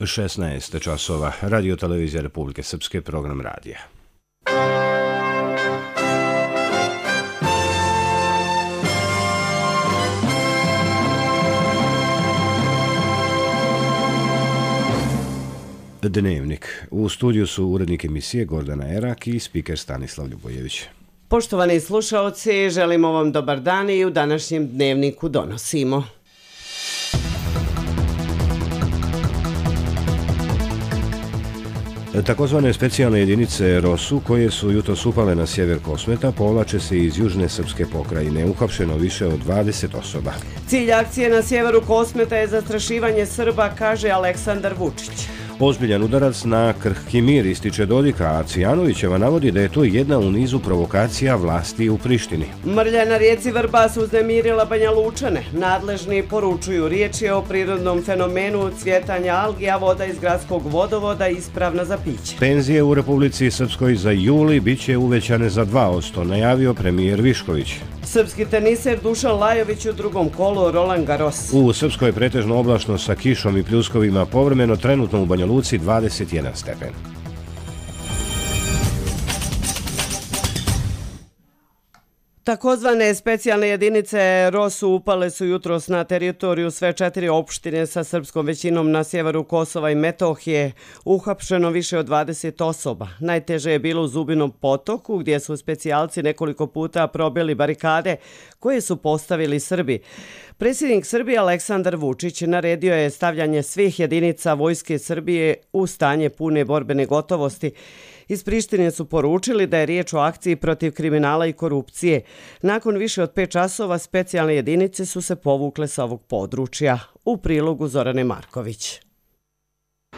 16 časova. Radio Televizija Republike Srpske, program radija. Dnevnik. U studiju su urednik emisije Gordana Erak i spiker Stanislav Ljubojević. Poštovani slušaoci, želimo vam dobar dan i u današnjem dnevniku donosimo. Takozvane specijalne jedinice ROSU, koje su jutros upale na sjever Kosmeta, povlače se iz južne srpske pokrajine. Uhapšeno više od 20 osoba. Cilj akcije na sjeveru Kosmeta je zastrašivanje Srba, kaže Aleksandar Vučić. Ozbiljan udarac na krhki mir, ističe Dodika, a Cvijanovićeva navodi da je to jedna u nizu provokacija vlasti u Prištini. Mrlja na rijeci Vrbas uznemirila Banja Lučane. Nadležni poručuju, riječ je o prirodnom fenomenu cvjetanja algi, a voda iz gradskog vodovoda ispravna za piće. Penzije u Republici Srpskoj za juli bit će uvećane za 2%, najavio premijer Višković. Srpski teniser Dušan Lajović u drugom kolu Roland Garros. U Srpskoj je pretežno oblačno sa kišom i pljuskovima, povremeno trenutno u Banja Luci 21 stepen. Takozvane specijalne jedinice ROSU upale su jutros na teritoriju sve 4 opštine sa srpskom većinom na sjeveru Kosova i Metohije. Uhapšeno više od 20 osoba. Najteže je bilo u Zubinom Potoku, gdje su specijalci nekoliko puta probili barikade koje su postavili Srbi. Predsjednik Srbije Aleksandar Vučić naredio je stavljanje svih jedinica Vojske Srbije u stanje pune borbene gotovosti. Iz Prištine su poručili da je riječ o akciji protiv kriminala i korupcije. Nakon više od 5 časova specijalne jedinice su se povukle sa ovog područja. U prilogu Zorane Marković.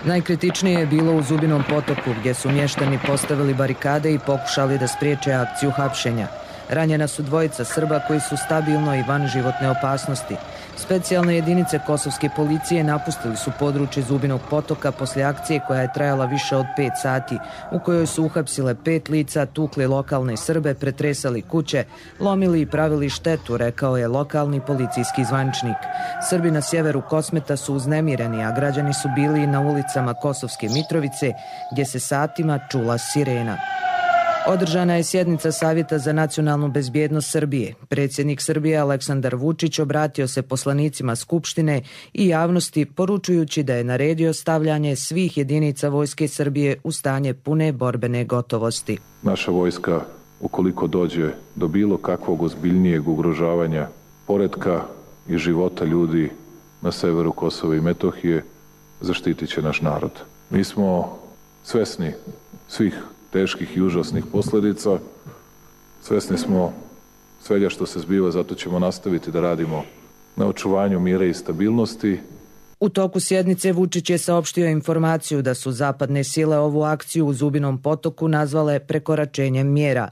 Najkritičnije je bilo u Zubinom Potoku, gdje su mještani postavili barikade i pokušali da spriječe akciju hapšenja. Ranjena su dvojica Srba koji su stabilno i van životne opasnosti. Specijalne jedinice kosovske policije napustili su područje Zubinog Potoka poslije akcije koja je trajala više od 5 sati, u kojoj su uhapsile 5 lica, tukli lokalne Srbe, pretresali kuće, lomili i pravili štetu, rekao je lokalni policijski zvaničnik. Srbi na sjeveru Kosmeta su uznemireni, a građani su bili na ulicama Kosovske Mitrovice, gdje se satima čula sirena. Održana je sjednica Savjeta za nacionalnu bezbjednost Srbije. Predsjednik Srbije Aleksandar Vučić obratio se poslanicima Skupštine i javnosti poručujući da je naredio stavljanje svih jedinica Vojske Srbije u stanje pune borbene gotovosti. Naša vojska, ukoliko dođe do bilo kakvog ozbiljnijeg ugrožavanja poretka i života ljudi na severu Kosova i Metohije, zaštitit će naš narod. Mi smo svesni svih teških i užasnih posljedica. Svesni smo svega što se zbiva, zato ćemo nastaviti da radimo na očuvanju mira i stabilnosti. U toku sjednice Vučić je saopštio informaciju da su zapadne sile ovu akciju u Zubinom Potoku nazvale prekoračenjem mjera.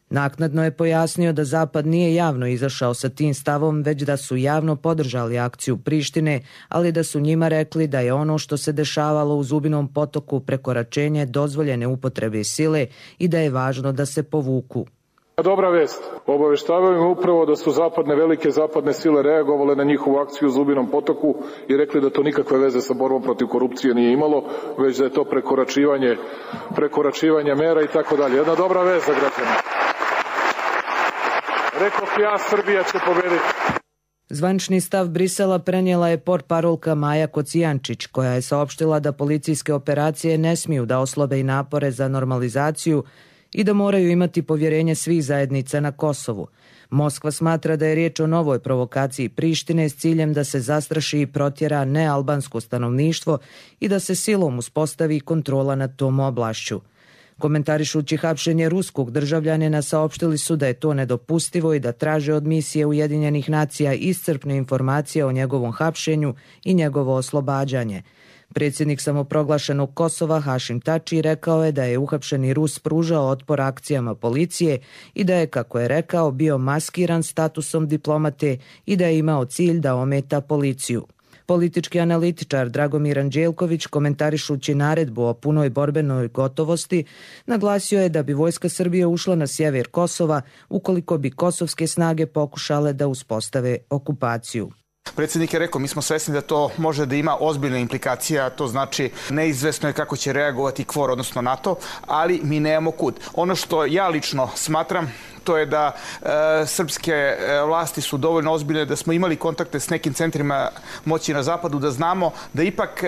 Naknadno je pojasnio da Zapad nije javno izašao sa tim stavom, već da su javno podržali akciju Prištine, ali da su njima rekli da je ono što se dešavalo u Zubinom Potoku prekoračenje dozvoljene upotrebe sile i da je važno da se povuku. Dobra vest. Obaveštavaju me upravo da su velike zapadne sile reagovale na njihovu akciju u Zubinom Potoku i rekli da to nikakve veze sa borbom protiv korupcije nije imalo, već da je to prekoračivanje mera i tako dalje. Jedna dobra vest za građane. Rekoh ja, Srbija će pobediti. Zvanični stav Brisela prenijela je portparolka Maja Kocijančić, koja je saopštila da policijske operacije ne smiju da oslabe i napore za normalizaciju i da moraju imati povjerenje svih zajednica na Kosovu. Moskva smatra da je riječ o novoj provokaciji Prištine s ciljem da se zastraši i protjera nealbansko stanovništvo i da se silom uspostavi kontrola nad tom oblašću. Komentarišući hapšenje ruskog državljanina saopštili su da je to nedopustivo i da traže od misije Ujedinjenih nacija iscrpne informacije o njegovom hapšenju i njegovo oslobađanje. Predsjednik samoproglašenog Kosova Hašim Tači rekao je da je uhapšeni Rus pružao otpor akcijama policije i da je, kako je rekao, bio maskiran statusom diplomate i da je imao cilj da ometa policiju. Politički analitičar Dragomir Anđelković, komentarišući naredbu o punoj borbenoj gotovosti, naglasio je da bi Vojska Srbije ušla na sjever Kosova ukoliko bi kosovske snage pokušale da uspostave okupaciju. Predsjednik je rekao, mi smo svesni da to može da ima ozbiljne implikacije, a to znači neizvesno je kako će reagovati KFOR, odnosno NATO, ali mi nemamo kud. Ono što ja lično smatram, to je da srpske vlasti su dovoljno ozbiljne, da smo imali kontakte s nekim centrima moći na zapadu, da znamo da ipak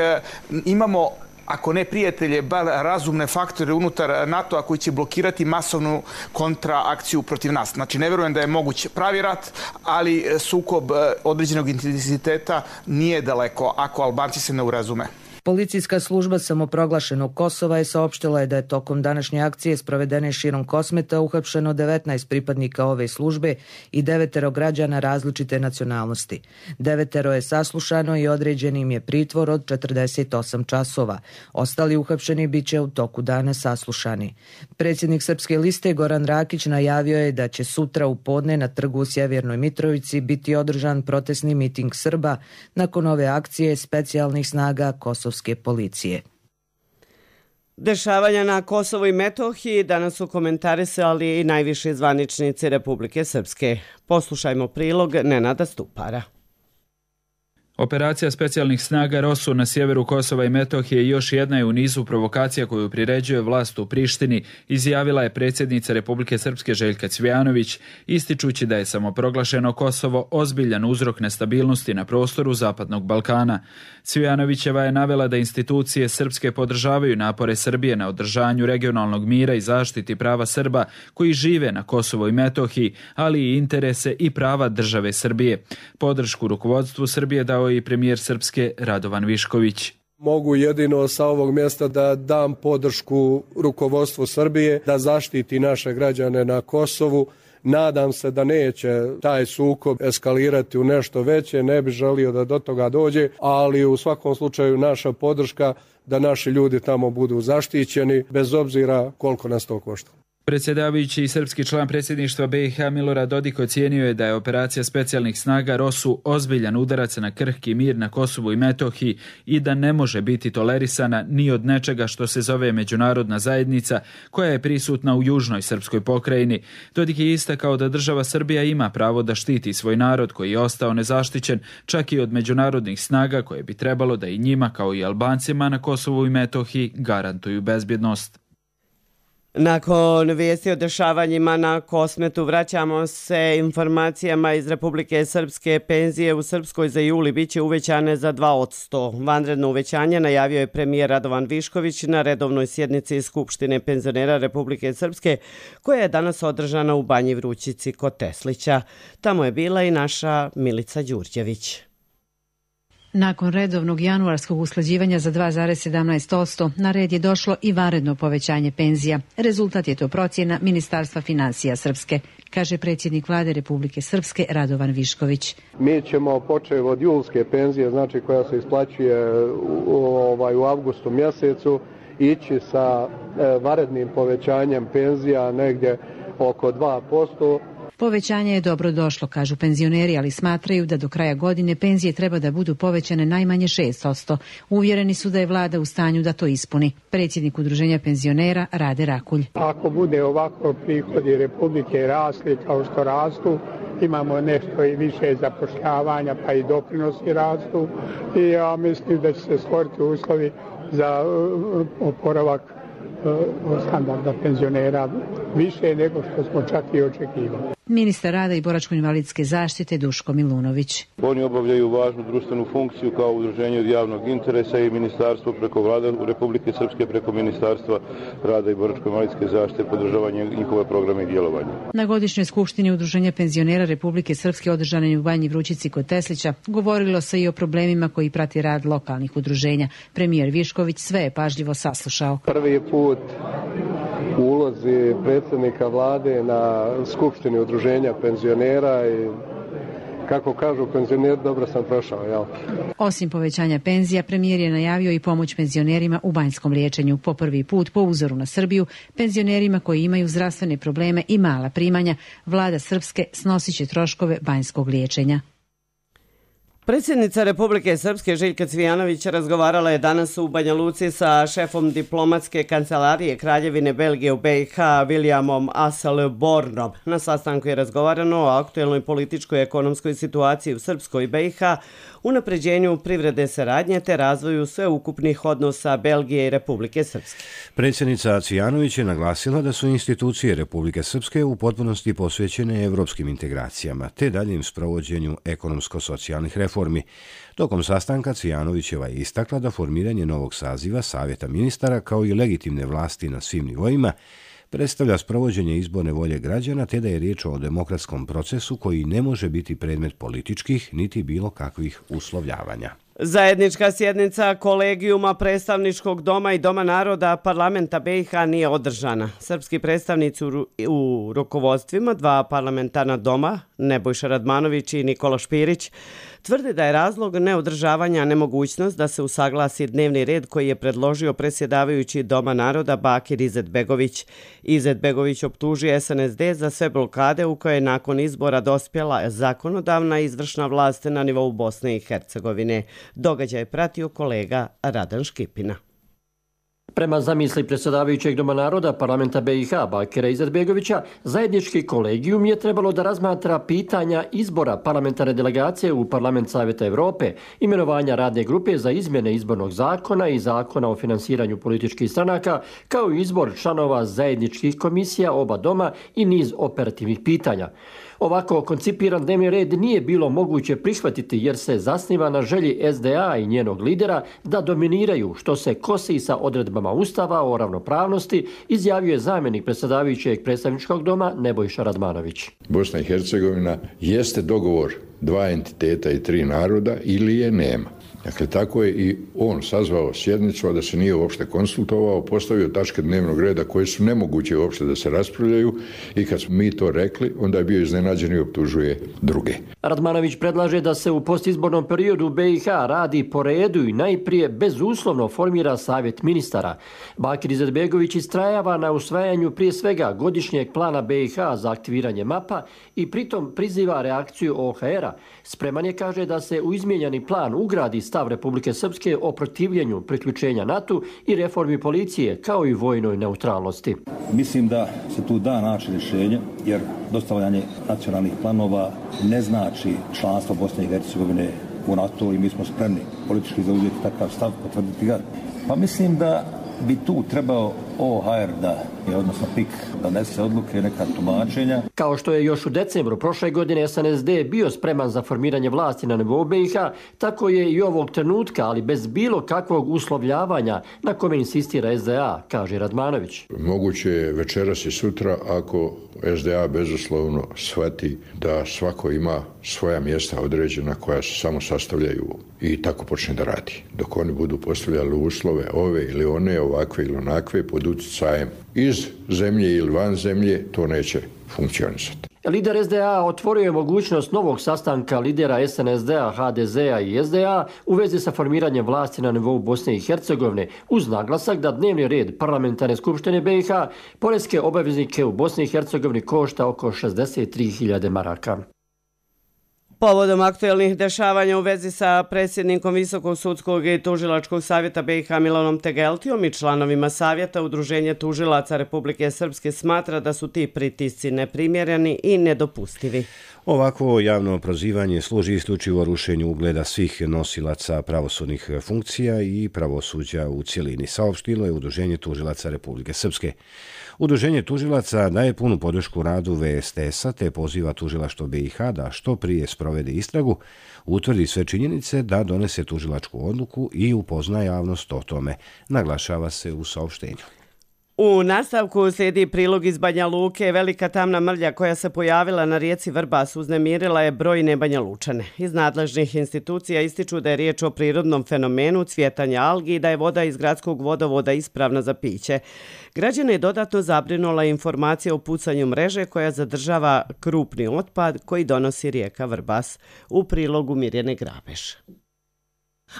imamo, ako ne prijatelje, bar razumne faktore unutar NATO-a koji će blokirati masovnu kontraakciju protiv nas. Znači, ne verujem da je moguć pravi rat, ali sukob određenog intenziteta nije daleko ako Albanci se ne urazume. Policijska služba samoproglašenog Kosova je saopštila da je tokom današnje akcije sprovedene širom Kosmeta uhapšeno 19 pripadnika ove službe i 9 građana različite nacionalnosti. 9 je saslušano i određen im je pritvor od 48 časova. Ostali uhapšeni bit će u toku dana saslušani. Predsjednik Srpske liste Goran Rakić najavio je da će sutra u podne na trgu u Sjevernoj Mitrovici biti održan protestni miting Srba nakon ove akcije specijalnih snaga kosovske policije. Dešavanja na Kosovu i Metohiji danas su komentarisali i najviši zvaničnici Republike Srpske. Poslušajmo prilog Nenada Stupara. Operacija specijalnih snaga ROSU na sjeveru Kosova i Metohije još jedna je u nizu provokacija koju priređuje vlast u Prištini, izjavila je predsjednica Republike Srpske Željka Cvijanović, ističući da je samoproglašeno Kosovo ozbiljan uzrok nestabilnosti na prostoru Zapadnog Balkana. Cvijanovićeva je navela da institucije srpske podržavaju napore Srbije na održanju regionalnog mira i zaštiti prava Srba koji žive na Kosovu i Metohiji, ali i interese i prava države Srbije. Podršku rukovodstvu Srbije dao i premijer Srpske Radovan Višković. Mogu jedino sa ovog mjesta da dam podršku rukovodstvu Srbije, da zaštiti naše građane na Kosovu. Nadam se da neće taj sukob eskalirati u nešto veće, ne bi želio da do toga dođe, ali u svakom slučaju naša podrška da naši ljudi tamo budu zaštićeni, bez obzira koliko nas to košta. Predsjedavajući i srpski član predsjedništva BiH Milorad Dodik ocijenio je da je operacija specijalnih snaga ROSU ozbiljan udarac na krhki mir na Kosovu i Metohiji i da ne može biti tolerisana ni od nečega što se zove međunarodna zajednica koja je prisutna u južnoj srpskoj pokrajini. Dodik je istakao da država Srbija ima pravo da štiti svoj narod koji je ostao nezaštićen čak i od međunarodnih snaga koje bi trebalo da i njima kao i Albancima na Kosovu i Metohiji garantuju bezbjednost. Nakon vijesti o dešavanjima na Kosmetu vraćamo se informacijama iz Republike Srpske. Penzije u Srpskoj za juli biće uvećane za 2%. Vanredno uvećanje najavio je premijer Radovan Višković na redovnoj sjednici Skupštine penzionera Republike Srpske koja je danas održana u Banji Vrućici kod Teslića. Tamo je bila i naša Milica Đurđević. Nakon redovnog januarskog usklađivanja za 2,17%, na red je došlo i vanredno povećanje penzija. Rezultat je to procjena Ministarstva financija Srpske, kaže predsjednik vlade Republike Srpske Radovan Višković. Mi ćemo početi od julske penzije, znači koja se isplaćuje u avgustu mjesecu, ići sa vanrednim povećanjem penzija negdje oko 2%. Povećanje je dobro došlo, kažu penzioneri, ali smatraju da do kraja godine penzije treba da budu povećane najmanje 6%. Uvjereni su da je vlada u stanju da to ispuni. Predsjednik udruženja penzionera Rade Rakulj. Ako bude ovako prihodi Republike rasli kao što rastu, imamo nešto i više zapošljavanja, pa i doprinosi rastu i ja mislim da će se stvoriti uslovi za oporavak standarda penzionera više nego što smo čak i očekivali. Ministar rada i boračko-invalidske zaštite Duško Milunović. Oni obavljaju važnu društvenu funkciju kao udruženje od javnog interesa i ministarstvo preko vlade Republike Srpske preko Ministarstva rada i boračko-invalidske zaštite podržavanje njihove programe i djelovanja. Na godišnjoj skupštini udruženja penzionera Republike Srpske održanoj u Banji Vrućici kod Teslića govorilo se i o problemima koji prati rad lokalnih udruženja. Premijer Višković sve je pažljivo saslušao. Prvi put u ulozi predsjednika vlade na skupštini udruženja penzionera i kako kažu penzioneri, dobro sam prošao, jel? Osim povećanja penzija, premijer je najavio i pomoć penzionerima u banjskom liječenju. Po prvi put, po uzoru na Srbiju, penzionerima koji imaju zdravstvene probleme i mala primanja, vlada Srpske snosit će troškove banjskog liječenja. Predsjednica Republike Srpske Željka Cvijanović razgovarala je danas u Banja Luci sa šefom diplomatske kancelarije Kraljevine Belgije u BiH Williamom Asselbornom. Na sastanku je razgovarano o aktuelnoj političkoj i ekonomskoj situaciji u Srpskoj i BiH, unapređenju privredne saradnje te razvoju sveukupnih odnosa Belgije i Republike Srpske. Predsjednica Cvijanović je naglasila da su institucije Republike Srpske u potpunosti posvećene evropskim integracijama te daljem sprovođenju ekonomsko-socijalnih reformi. Tokom sastanka Cvijanovićeva je istakla da formiranje novog saziva Savjeta ministara kao i legitimne vlasti na svim nivoima predstavlja sprovođenje izborne volje građana te da je riječ o demokratskom procesu koji ne može biti predmet političkih niti bilo kakvih uslovljavanja. Zajednička sjednica Kolegijuma predstavničkog doma i Doma naroda parlamenta BiH nije održana. Srpski predstavnici u rukovodstvima dva parlamentarna doma, Nebojša Radmanović i Nikola Špirić, tvrde da je razlog neodržavanja nemogućnost da se usaglasi dnevni red koji je predložio predsjedavajući Doma naroda Bakir Izetbegović. Izetbegović optužuje SNSD za sve blokade u koje je nakon izbora dospjela zakonodavna i izvršna vlast na nivou Bosne i Hercegovine. Događaj je pratio kolega Radan Škipina. Prema zamisli predsjedavajućeg Doma naroda parlamenta BiH Bakira Izetbegovića, zajednički kolegijum je trebalo da razmatra pitanja izbora parlamentarne delegacije u Parlament Savjeta Evrope, imenovanja radne grupe za izmjene izbornog zakona i zakona o finansiranju političkih stranaka, kao i izbor članova zajedničkih komisija oba doma i niz operativnih pitanja. Ovako koncipiran dnevni red nije bilo moguće prihvatiti jer se zasniva na želji SDA i njenog lidera da dominiraju, što se kosi sa odredbama Ustava o ravnopravnosti, izjavio je zamjenik predsjedavajućeg predstavničkog doma Nebojša Radmanović. Bosna i Hercegovina jeste dogovor dva entiteta i tri naroda ili je nema. Dakle, tako je i on sazvao sjednicu, a da se nije uopšte konsultovao, postavio tačke dnevnog reda koje su nemoguće uopšte da se raspravljaju i kad smo mi to rekli, onda je bio iznenađen i optužuje druge. Radmanović predlaže da se u postizbornom periodu u BiH radi po redu i najprije bezuslovno formira savjet ministara. Bakir Izetbegović istrajava na usvajanju prije svega godišnjeg plana BiH za aktiviranje mapa i pritom priziva reakciju OHR-a. Spreman je, kaže, da se u izmijenjeni plan ugradi stav Republike Srpske o protivljenju priključenja NATO i reformi policije, kao i vojnoj neutralnosti. Mislim da se tu da naći rješenje, jer dostavljanje nacionalnih planova ne znači članstvo Bosne i Hercegovine u NATO i mi smo spremni politički zauzeti takav stav, potvrditi ga. Pa mislim da bi tu trebao OHR odnosno PIK da nese odluke, neka tumačenja. Kao što je još u decembru prošle godine SNSD bio spreman za formiranje vlasti na nivou BiH, tako je i ovog trenutka, ali bez bilo kakvog uslovljavanja na kome insistira SDA, kaže Radmanović. Moguće je večeras i sutra ako SDA bezuslovno shvati da svako ima svoja mjesta određena koja se samo sastavljaju i tako počne da radi. Dok oni budu postavljali uslove ove ili one, ovakve ili onakve, pod utjecajem iz zemlje ili van zemlje, to neće funkcionisati. Lider SDA otvorio je mogućnost novog sastanka lidera SNSD-a, HDZ-a i SDA u vezi sa formiranjem vlasti na nivou Bosne i Hercegovine, uz naglasak da dnevni red parlamentarne skupštine BiH poreske obaveznike u Bosni i Hercegovini košta oko 63.000 maraka. Povodom aktuelnih dešavanja u vezi sa predsjednikom Visokog sudskog i tužilačkog savjeta BiH Milanom Tegeltijom i članovima savjeta, Udruženje tužilaca Republike Srpske smatra da su ti pritisci neprimjereni i nedopustivi. Ovakvo javno prozivanje služi isključivo rušenju ugleda svih nosilaca pravosudnih funkcija i pravosuđa u cjelini, saopštilo je Udruženje tužilaca Republike Srpske. Udruženje tužilaca daje punu podršku radu VSTS-a te poziva tužilaštvo BiH da što prije sprovede istragu, utvrdi sve činjenice, da donese tužilačku odluku i upozna javnost o tome, naglašava se u saopštenju. U nastavku slijedi prilog iz Banja Luke. Velika tamna mrlja koja se pojavila na rijeci Vrbas uznemirila je brojne Banja Lučane. Iz nadležnih institucija ističu da je riječ o prirodnom fenomenu cvjetanja algi i da je voda iz gradskog vodovoda ispravna za piće. Građane je dodatno zabrinula informacija o pucanju mreže koja zadržava krupni otpad koji donosi rijeka Vrbas. U prilogu Mirjane Grabeš.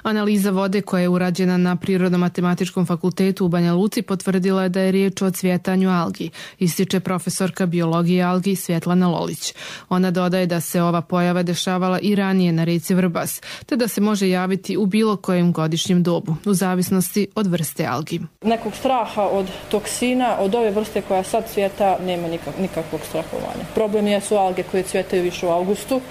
Analiza vode koja je urađena na Prirodno-matematičkom fakultetu u Banja Luci potvrdila je da je riječ o cvjetanju algi, ističe profesorka biologije algi Svjetlana Lolić. Ona dodaje da se ova pojava dešavala i ranije na rijeci Vrbas, te da se može javiti u bilo kojem godišnjem dobu, u zavisnosti od vrste algi. Nekog straha od toksina, od ove vrste koja sad cvjeta, nema nikakvog strahovanja. Problem jesu alge koje cvjetaju više u avgustu.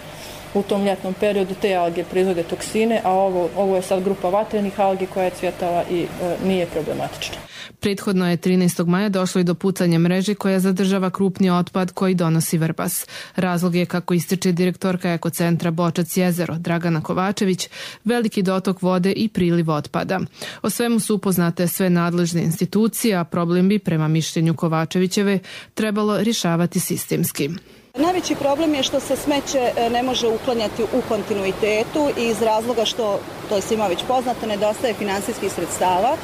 U tom ljetnom periodu te alge proizvode toksine, a ovo je sad grupa vatrenih algi koja je cvjetala i nije problematična. Prethodno je 13. maja došlo i do pucanja mreže koja zadržava krupni otpad koji donosi Vrbas. Razlog je, kako ističe direktorka Ekocentra Bočac jezero Dragana Kovačević, veliki dotok vode i priliv otpada. O svemu su upoznate sve nadležne institucije, a problem bi, prema mišljenju Kovačevićeve, trebalo rješavati sistemski. Najveći problem je što se smeće ne može uklanjati u kontinuitetu i iz razloga što, to je svima već poznato, nedostaje finansijskih sredstava,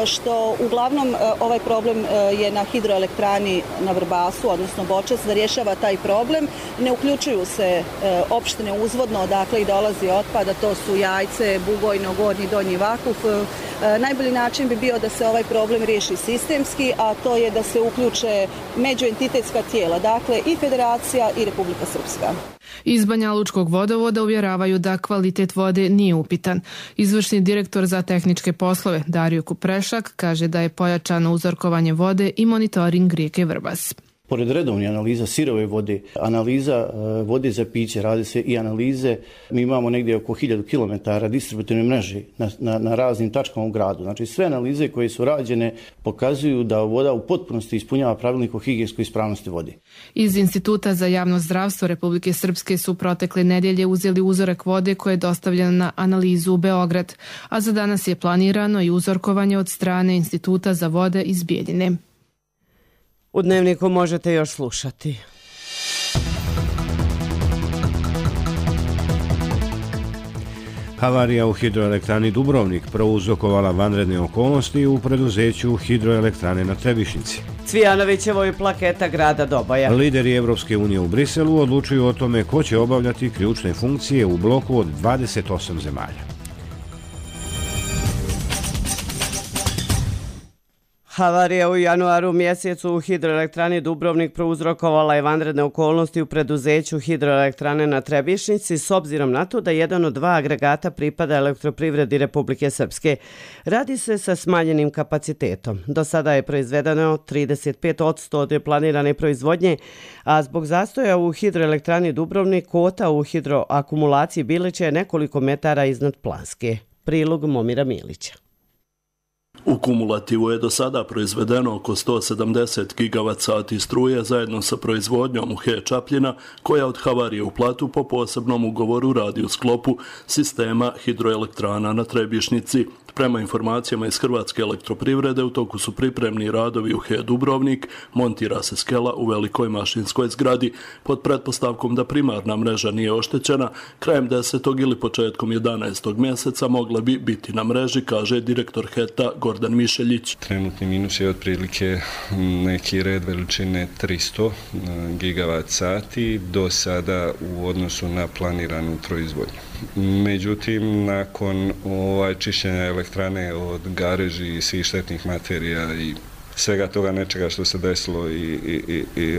što uglavnom ovaj problem je na hidroelektrani na Vrbasu, odnosno Bočac, da rješava taj problem. Ne uključuju se opštine uzvodno odakle i dolazi otpad, a to su Jajce, Bugojno, Gornji, Donji Vakuf. Najbolji način bi bio da se ovaj problem riješi sistemski, a to je da se uključe međuentitetska tijela, dakle i Federacija i Republika Srpska. Iz Banja Lučkog vodovoda uvjeravaju da kvalitet vode nije upitan. Izvršni direktor za tehničke poslove Dario Kuprešak kaže da je pojačano uzorkovanje vode i monitoring rijeke Vrbas. Pored redovnih analiza sirove vode, analiza vode za piće, radi se i analize. Mi imamo negdje oko 1000 km distributivne mreže na raznim tačkama u gradu. Znači sve analize koje su rađene pokazuju da voda u potpunosti ispunjava pravilnik o higijenskoj ispravnosti vode. Iz Instituta za javno zdravstvo Republike Srpske su protekle nedjelje uzeli uzorak vode koje je dostavljen na analizu u Beograd, a za danas je planirano i uzorkovanje od strane Instituta za vode iz Bijeljine. U Dnevniku možete još slušati. Havarija u hidroelektrani Dubrovnik prouzrokovala vanredne okolnosti u preduzeću hidroelektrane na Trebišnici. Cvijanovićevo je plaketa grada Doboja. Lideri Evropske unije u Briselu odlučuju o tome ko će obavljati ključne funkcije u bloku od 28 zemalja. Havarija u januaru mjesecu u hidroelektrani Dubrovnik prouzrokovala je vanredne okolnosti u preduzeću hidroelektrane na Trebišnici s obzirom na to da jedan od dva agregata pripada Elektroprivredi Republike Srpske. Radi se sa smanjenim kapacitetom. Do sada je proizvedeno 35% od planirane proizvodnje, a zbog zastoja u hidroelektrani Dubrovnik kvota u hidroakumulaciji Bilića je nekoliko metara iznad planske. Prilog Momira Milića. U kumulativu je do sada proizvedeno oko 170 GWh struje zajedno sa proizvodnjom u HE Čapljina, koja od havarije u Platu po posebnom ugovoru radi u sklopu sistema hidroelektrana na Trebišnici. Prema informacijama iz Hrvatske elektroprivrede, u toku su pripremni radovi u HE Dubrovnik, montira se skela u velikoj mašinskoj zgradi. Pod pretpostavkom da primarna mreža nije oštećena, krajem 10. ili početkom 11. mjeseca mogla bi biti na mreži, kaže direktor HET-a Gordan Mišeljić. Trenutni minus je otprilike neki red veličine 300 GWh do sada u odnosu na planiranu proizvodnju. Međutim, nakon čišćenja elektrane od gareži i svih štetnih materija i svega toga nečega što se desilo i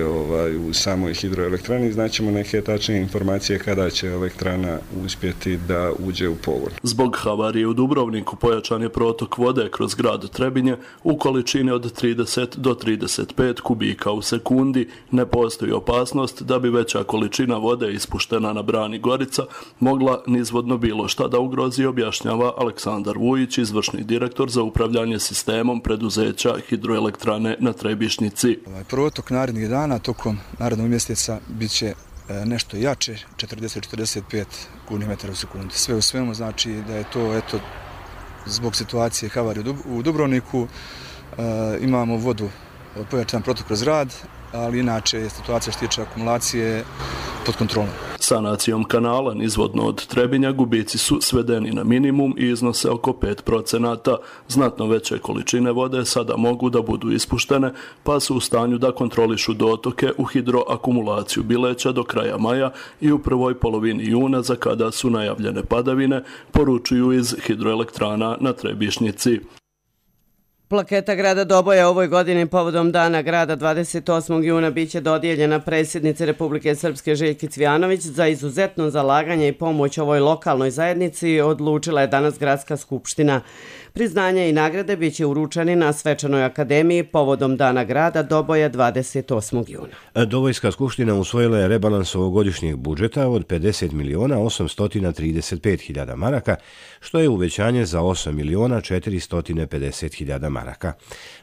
u samoj hidroelektrani, znaćemo neke tačnije informacije kada će elektrana uspjeti da uđe u pogon. Zbog havarije u Dubrovniku pojačan je protok vode kroz grad Trebinje u količini od 30 do 35 kubika u sekundi. Ne postoji opasnost da bi veća količina vode ispuštena na brani Gorica mogla nizvodno bilo šta da ugrozi, objašnjava Aleksandar Vujić, izvršni direktor za upravljanje sistemom preduzeća hidroelektrane na Trebišnici. Protok narednih dana tokom narednog mjeseca bit će nešto jače, 40-45 km u sekundi. Sve u svemu znači da je to zbog situacije havarije u Dubrovniku. Imamo vodu, pojačan protok kroz rad, ali inače je situacija što tiče akumulacije pod kontrolom. Sanacijom kanala nizvodno od Trebinja gubici su svedeni na minimum i iznose oko 5%. Znatno veće količine vode sada mogu da budu ispuštene, pa su u stanju da kontrolišu dotoke u hidroakumulaciju Bileća do kraja maja i u prvoj polovini juna, za kada su najavljene padavine, poručuju iz hidroelektrana na Trebišnjici. Plaketa grada Doboja ovoj godini povodom Dana grada 28. juna biće dodijeljena predsjednici Republike Srpske Željki Cvijanović. Za izuzetno zalaganje i pomoć ovoj lokalnoj zajednici odlučila je danas Gradska skupština. Priznanja i nagrade biće uručeni na Svečanoj akademiji povodom Dana grada Doboja 28. juna. Dobojska skupština usvojila je rebalans ovogodišnjeg budžeta od 50.835.000 maraka, što je uvećanje za 8.450.000 maraka.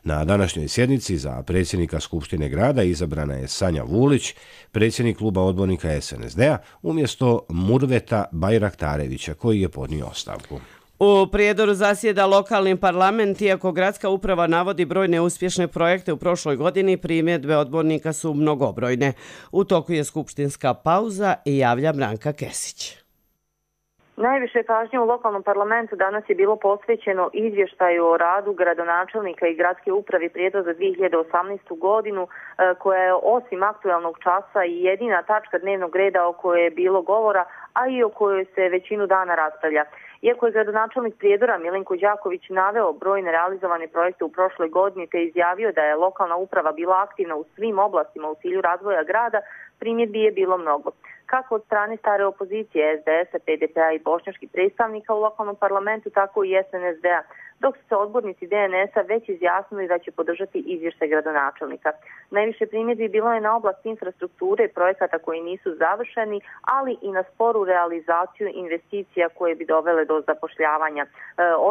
Na današnjoj sjednici za predsjednika Skupštine grada izabrana je Sanja Vulić, predsjednik kluba odbornika SNSD-a, umjesto Murveta Bajraktarevića, koji je podnio ostavku. U Prijedoru zasjeda lokalni parlament, iako gradska uprava navodi brojne uspješne projekte u prošloj godini, primjedbe odbornika su mnogobrojne. U toku je skupštinska pauza i javlja Branka Kesić. Najviše pažnje u lokalnom parlamentu danas je bilo posvećeno izvještaju o radu gradonačelnika i gradske uprave Prijedor za 2018. godinu, koja je osim aktualnog časa i jedina tačka dnevnog reda o kojoj je bilo govora, a i o kojoj se većinu dana raspravlja. Iako je gradonačelnik Prijedora Milenko Đaković naveo brojne realizovane projekte u prošloj godini te izjavio da je lokalna uprava bila aktivna u svim oblastima u cilju razvoja grada, primjedbi je bilo mnogo. Kako od strane stare opozicije SDS-a, PDP-a i bošnjačkih predstavnika u lokalnom parlamentu, tako i SNSD-a, dok su se odbornici DNS-a već izjasnili da će podržati izvještaj gradonačelnika. Najviše primjedbi bilo je na oblast infrastrukture i projekata koji nisu završeni, ali i na sporu realizaciju investicija koje bi dovele do zapošljavanja.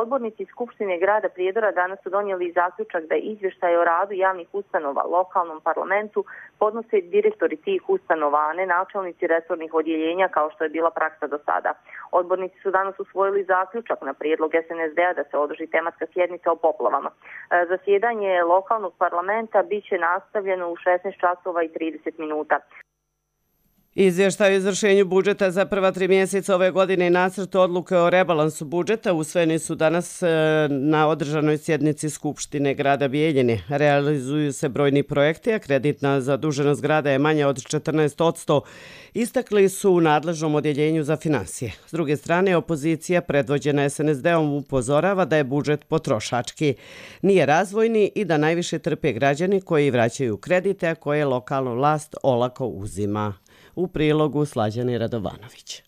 Odbornici Skupštine grada Prijedora danas su donijeli zaključak da izvještaj o radu javnih ustanova lokalnom parlamentu podnose direktori tih ustanova, a ne načelnici resornih odjeljenja kao što je bila praksa do sada. Odbornici su danas usvojili zaključak na prijedlog SNSD-a da se održi tematska sjednica o poplavama. Zasjedanje lokalnog parlamenta biće nastavljeno u 16:30. Izvještaj o izvršenju budžeta za prva 3 mjeseca ove godine i nacrt odluke o rebalansu budžeta usvojeni su danas na održanoj sjednici Skupštine grada Bijeljine. Realizuju se brojni projekti, a kreditna zaduženost grada je manja od 14%, istakli su u nadležnom odjeljenju za finansije. S druge strane, opozicija predvođena SNSD-om upozorava da je budžet potrošački, nije razvojni i da najviše trpe građani koji vraćaju kredite, a koje lokalna vlast olako uzima. U prilogu Slađane Radovanović.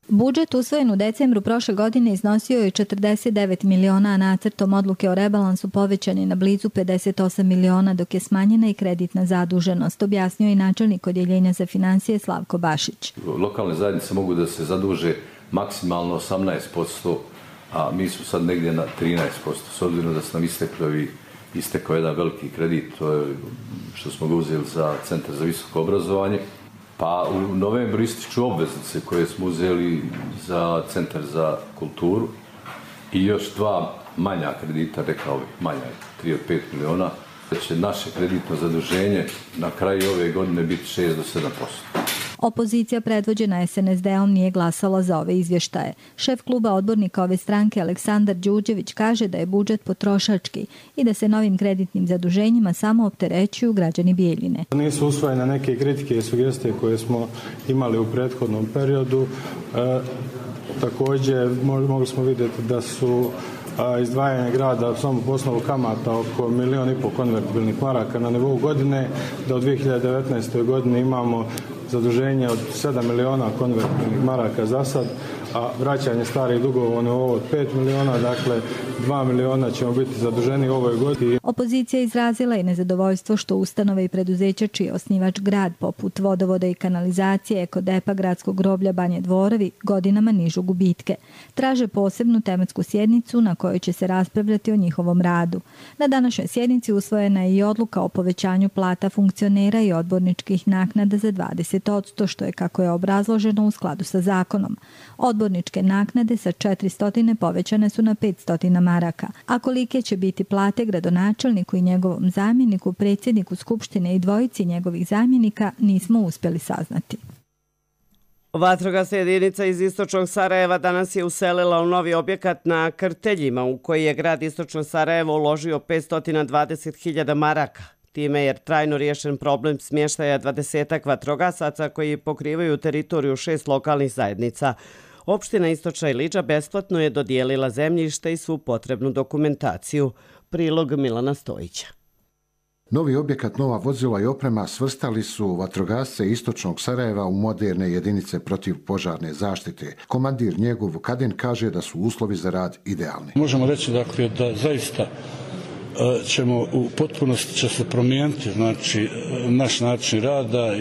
Budžet usvojen u decembru prošle godine iznosio je 49 miliona, a nacrtom odluke o rebalansu povećan je na blizu 58 miliona, dok je smanjena i kreditna zaduženost, objasnio i načelnik odjeljenja za finansije Slavko Bašić. Lokalne zajednice mogu da se zaduže maksimalno 18%, a mi smo sad negdje na 13%, s obzirom da su nam istekao jedan veliki kredit, to je što smo ga uzeli za Centar za visoko obrazovanje. Pa u novembru ističu obveznice koje smo uzeli za Centar za kulturu i još 2 manja kredita, rekao bih manja, 3 od 5 miliona, da će naše kreditno zaduženje na kraju ove godine biti 6 do 7%. Opozicija predvođena SNSD-om nije glasala za ove izvještaje. Šef kluba odbornika ove stranke Aleksandar Đurđević kaže da je budžet potrošački i da se novim kreditnim zaduženjima samo opterećuju građani Bijeljine. Nisu usvojene neke kritike i sugestije koje smo imali u prethodnom periodu. Također mogli smo vidjeti da su izdvajanje grada samo po osnovu kamata oko 1,5 miliona konvertibilnih maraka na nivou godine, da u 2019. godini imamo zaduženje od 7 miliona konvertibilnih maraka za sad, a vraćanje starih dugova na ovo od 5 miliona, dakle 2 miliona ćemo biti zaduženi u ovoj godini. Opozicija izrazila i nezadovoljstvo što ustanove i preduzeća čiji je osnivač grad, poput vodovoda i kanalizacije, Ekodepa, gradskog groblja Banje Dvorovi, godinama nižu gubitke. Traže posebnu tematsku sjednicu na kojoj će se raspravljati o njihovom radu. Na današnjoj sjednici usvojena je i odluka o povećanju plata funkcionera i odborničkih naknada za 20%, što je, kako je obrazloženo, u skladu sa zakonom. Odborničke naknade sa 400 povećane su na 500 maraka, a kolike će biti plate gradonačelniku i njegovom zamjeniku, predsjedniku Skupštine i dvojici njegovih zamjenika nismo uspjeli saznati. Vatrogasna jedinica iz istočnog Sarajeva danas je uselila u novi objekat na Krteljima, u koji je grad istočno Sarajevo uložio 520.000 maraka. Time je trajno riješen problem smještaja 20 vatrogasaca koji pokrivaju teritoriju 6 lokalnih zajednica. Opština Istočna Ilidža besplatno je dodijelila zemljište i svu potrebnu dokumentaciju. Prilog Milana Stojića. Novi objekat, nova vozila i oprema svrstali su vatrogasce istočnog Sarajeva u moderne jedinice protivpožarne zaštite. Komandir njegov Vukadin kaže da su uslovi za rad idealni. Možemo reći dakle, da zaista ćemo u potpunosti će se promijeniti znači, naš način rada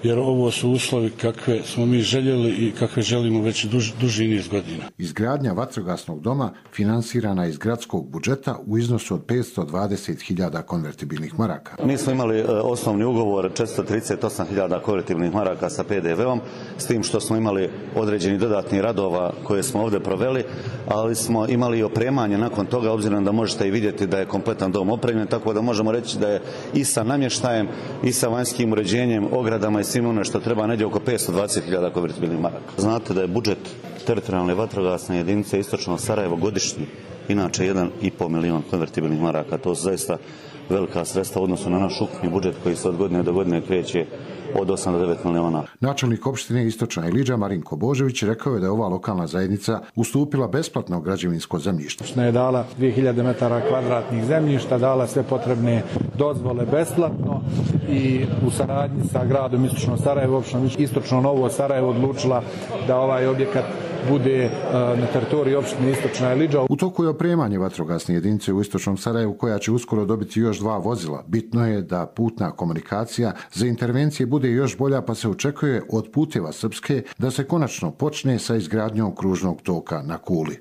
jer ovo su uslovi kakve smo mi željeli i kakve želimo već duži niz godina. Izgradnja vatrogasnog doma finansirana iz gradskog budžeta u iznosu od 520.000 konvertibilnih maraka. Mi smo imali osnovni ugovor 438.000 konvertibilnih maraka sa PDV-om, s tim što smo imali određeni dodatni radova koje smo ovdje proveli, ali smo imali i opremanje nakon toga, obzirom da možete i vidjeti da je kompletan dom opremljen, tako da možemo reći da je i sa namještajem i sa vanjskim uređenjem, ogradama i svim ono što treba negdje oko 520.000 konvertibilnih maraka. Znate da je budžet teritorijalne vatrogasne jedinice istočno Sarajevo godišnji, inače 1,5 milion konvertibilnih maraka. To su zaista velika sredstva u odnosu na naš ukupni budžet koji se od godine do godine kreće od 8 do 9 miliona. Načelnik opštine Istočna Ilidža Marinko Božević rekao je da je ova lokalna zajednica ustupila besplatno građevinsko zemljište. Opština je dala 2000 metara kvadratnih zemljišta, dala sve potrebne dozvole besplatno i u saradnji sa gradom Istočno Sarajevo, opštinom Istočno Novo Sarajevo odlučila da ovaj objekat bude na teritoriji opštine Istočna Ilidža. U toku je opremanje vatrogasne jedinice u Istočnom Sarajevu koja će uskoro dobiti još 2 vozila. Bitno je da putna komunikacija za intervencije bude još bolja, pa se očekuje od Puteva Srpske da se konačno počne sa izgradnjom kružnog toka na Kuli.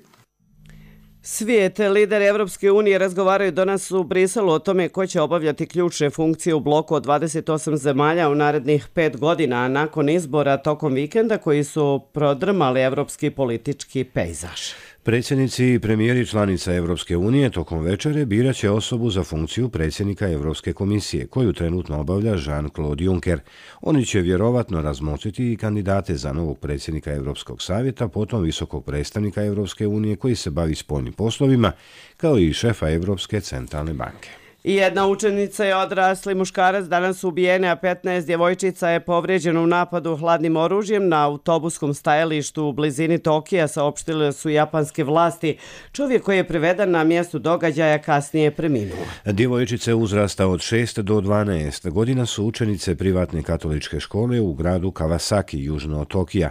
Svijet, lideri Evropske unije razgovaraju danas u Briselu o tome ko će obavljati ključne funkcije u bloku od 28 zemalja u narednih 5 godina, a nakon izbora tokom vikenda koji su prodrmali evropski politički pejzaž. Predsjednici i premijeri članica Evropske unije tokom večere birat će osobu za funkciju predsjednika Evropske komisije, koju trenutno obavlja Jean-Claude Juncker. Oni će vjerovatno razmotriti i kandidate za novog predsjednika Evropskog savjeta, potom visokog predstavnika Evropske unije koji se bavi spoljnim poslovima, kao i šefa Evropske centralne banke. Jedna učenica je odrasli muškarac danas ubijene, a 15 djevojčica je povrijeđeno u napadu hladnim oružjem na autobuskom stajalištu u blizini Tokija, saopštile su japanske vlasti. Čovjek koji je priveden na mjestu događaja kasnije je preminuo. Djevojčice uzrasta od 6 do 12 godina su učenice privatne katoličke škole u gradu Kawasaki, južno od Tokija.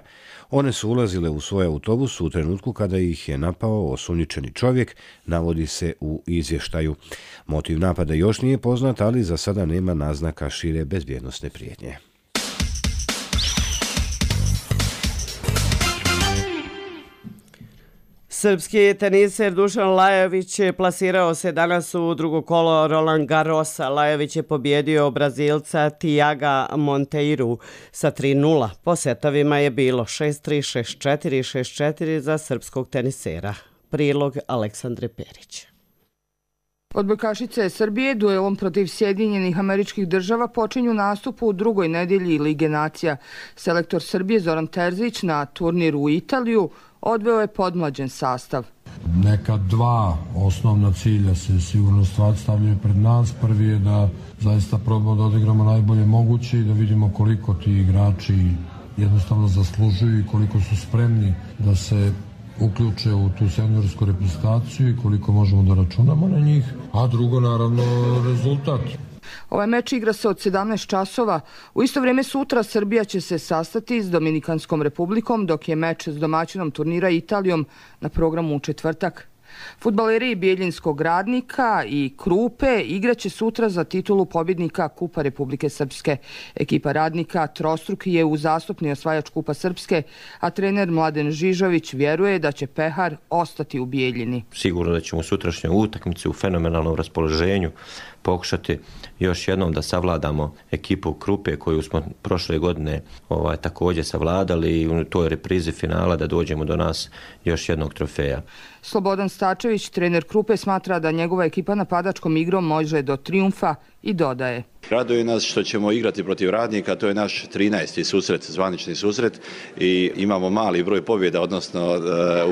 One su ulazile u svoj autobus u trenutku kada ih je napao osumnjičeni čovjek, navodi se u izvještaju. Motiv napada još nije poznat, ali za sada nema naznaka šire bezbjednosne prijetnje. Srpski teniser Dušan Lajović plasirao se danas u drugo kolo Roland Garrosa. Lajović je pobjedio Brazilca Tiaga Monteiru sa 3-0. Po setovima je bilo 6-3, 6-4, 6-4 za srpskog tenisera. Prilog Aleksandre Perić. Odbojkašice Srbije duelom protiv Sjedinjenih Američkih Država počinju nastup u drugoj nedjelji Lige nacija. Selektor Srbije Zoran Terzić na turniru u Italiju odveo je podmlađen sastav. Neka 2 osnovna cilja se sigurno stavljaju pred nas. Prvi je da zaista probamo da odigramo najbolje moguće i da vidimo koliko ti igrači jednostavno zaslužuju i koliko su spremni da se uključe u tu seniorsku reprezentaciju i koliko možemo da računamo na njih, a drugo naravno rezultat. Ovaj meč igra se od 17 časova. U isto vrijeme sutra Srbija će se sastati s Dominikanskom republikom, dok je meč s domaćinom turnira Italijom na programu u četvrtak. Fudbaleri Bijeljinskog Radnika i Krupe igraće sutra za titulu pobjednika Kupa Republike Srpske. Ekipa Radnika trostruki je uzastopni osvajač Kupa Srpske, a trener Mladen Žižović vjeruje da će pehar ostati u Bijeljini. Sigurno da ćemo u sutrašnjoj utakmici u fenomenalnom raspoloženju pokušati još jednom da savladamo ekipu Krupe koju smo prošle godine također savladali i u toj reprizi finala da dođemo do nas još jednog trofeja. Slobodan Stačević, trener Krupe, smatra da njegova ekipa napadačkom igrom može do trijumfa i dodaje. Raduje nas što ćemo igrati protiv Radnika, to je naš 13. susret, zvanični susret i imamo mali broj pobjeda, odnosno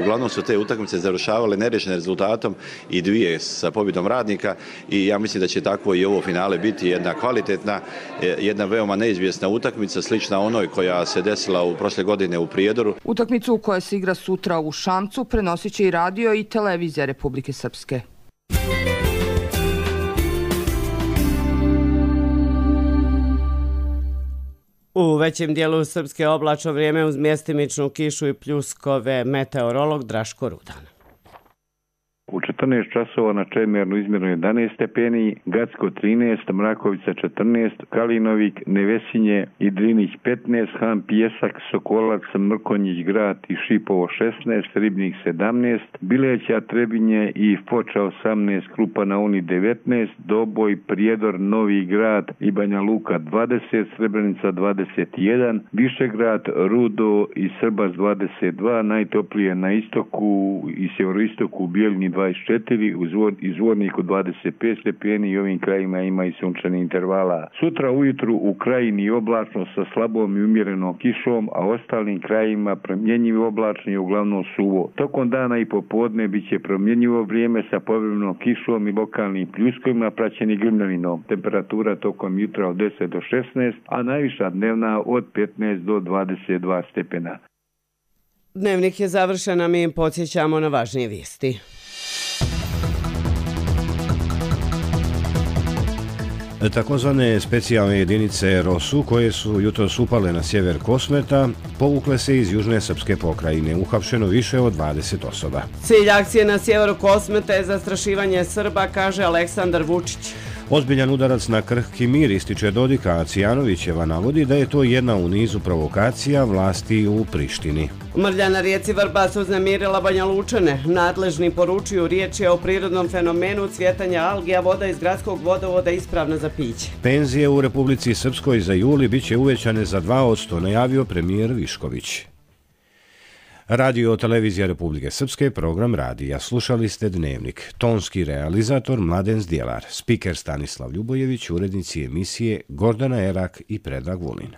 uglavnom su te utakmice završavale neriješenim rezultatom i 2 sa pobjedom Radnika i ja mislim da će tako i ovo finale biti jedna kvalitetna, jedna veoma neizvjesna utakmica, slična onoj koja se desila u prošle godine u Prijedoru. Utakmicu koja se igra sutra u Šamcu prenosit će i radio i televizija Republike Srpske. U većem dijelu Srpske oblačno vrijeme uz mjestimičnu kišu i pljuskove, meteorolog Draško Rudan. U 14 časova na Čemernu izmjereno 11 stepeni, Gacko 13, Mrakovica 14, Kalinovik, Nevesinje i Drinić 15, Han Pjesak, Sokolac, Mrkonjić Grad i Šipovo 16, Ribnik 17, Bileća, Trebinje i Foča 18, Krupa na Uni 19, Doboj, Prijedor, Novi Grad i Banja Luka 20, Srebrenica 21, Višegrad, Rudo i Srbas 22, najtoplije na istoku i sjeveroistoku u Bijeljini 24, u Zvorniku 25 stepeni i ovim krajima ima i sunčanih intervala. Sutra ujutru u Krajini oblačno sa slabom i umjerenom kišom, a ostalim krajima promjenjivo oblačno i uglavnom suvo. Tokom dana i popodne bit će promjenjivo vrijeme sa povremenom kišom i lokalnim pljuskovima praćeni grmljavinom. Temperatura tokom jutra od 10 do 16, a najviša dnevna od 15 do 22 stepena. Dnevnik je završen, a mi im podsjećamo na važnije vijesti. Takozvane specijalne jedinice ROSU, koje su jutros upale na sjever Kosmeta, povukle se iz južne srpske pokrajine. Uhapšeno više od 20 osoba. Cilj akcije na sjeveru Kosmeta je zastrašivanje Srba, kaže Aleksandar Vučić. Ozbiljan udarac na krhki mir, ističe Dodik, a Cijanovićeva navodi da je to jedna u nizu provokacija vlasti u Prištini. Mrlja na rijeci Vrbas uznemirila Banja Lučane. Nadležni poručuju, riječ je o prirodnom fenomenu cvjetanja algi, a voda iz gradskog vodovoda ispravna za piće. Penzije u Republici Srpskoj za juli bit će uvećane za 2%, najavio premijer Višković. Radio televizija Republike Srpske, program radija. Slušali ste Dnevnik. Tonski realizator Mladen Zdjelar, spiker Stanislav Ljubojević, urednici emisije Gordana Erak i Predrag Vulin.